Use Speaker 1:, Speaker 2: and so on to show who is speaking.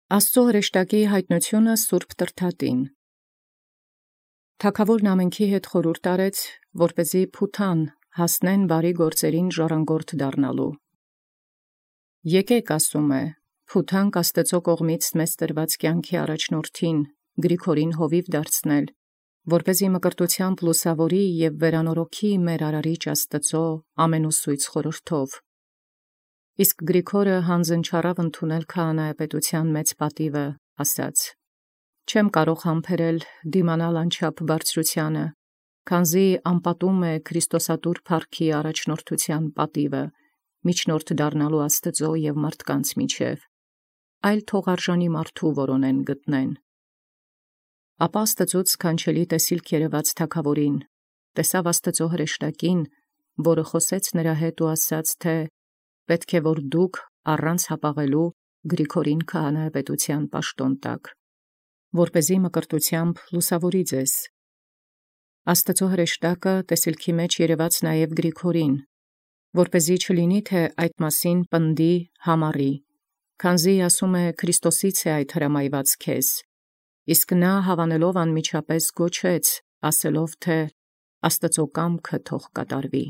Speaker 1: Աստծո հրեշտակի յայտնութիւնը սուրբ Տրդատին։ Թագաւորն ամենքի հետ խորհուրդ արեց, որպեսզի փութան հասնեն բարի գործերին ժառանգորդ դառնալու։ Եկեք, ասում է, փութանք Աստծո կողմից մեզ տրված կյանքի առաջնորդին Գրիգորին հովիվ դարձնել, որպեսզի մկրտութեամբ լուսավորի և վերանորոգի մեր արարիչ Աստծո ամենուսույց խորհրդով։ Իսկ Գրիգորը յանձն չառաւ ընդունել քահանայապետութեան մեծ պատիւը, ասաց. «Չեմ կարող համբերել դիմանալ անչափ բարձրութեանը, քանզի անպատում է Քրիստոսատուր փառքի առաջնորդութեան պատիւը, միջնորդ դառնալու Աստծո և մարդկանց միջև, այլ թող արժանի մարդու որոնեն գտնեն»։ Ապա Աստծոց սքանչելի տեսիլք երևաց թագաւորին, տեսաւ Աստծո հրեշտակին, որը խոսեց նրա հետ ու ասաց, թէ «Պետք է որ դուք առանց հապաղելու Գրիգորին քահանայապետութեան պաշտոն տաք, որպեսզի մկրտութեամբ լուսավորի ձեզ»։ Աստծո հրեշտակը տեսիլքի մեջ երևաց նաև Գրիգորին, որպեսզի չլինի, թէ այդ մասին պնդի համառի, քանզի ասում է Քրիստոսից է այդ հրամայված քեզ, իսկ նա հավանելով անմիջապես գոչեց, ասելով, թէ «Աստծո կամքը թող կատարվի»։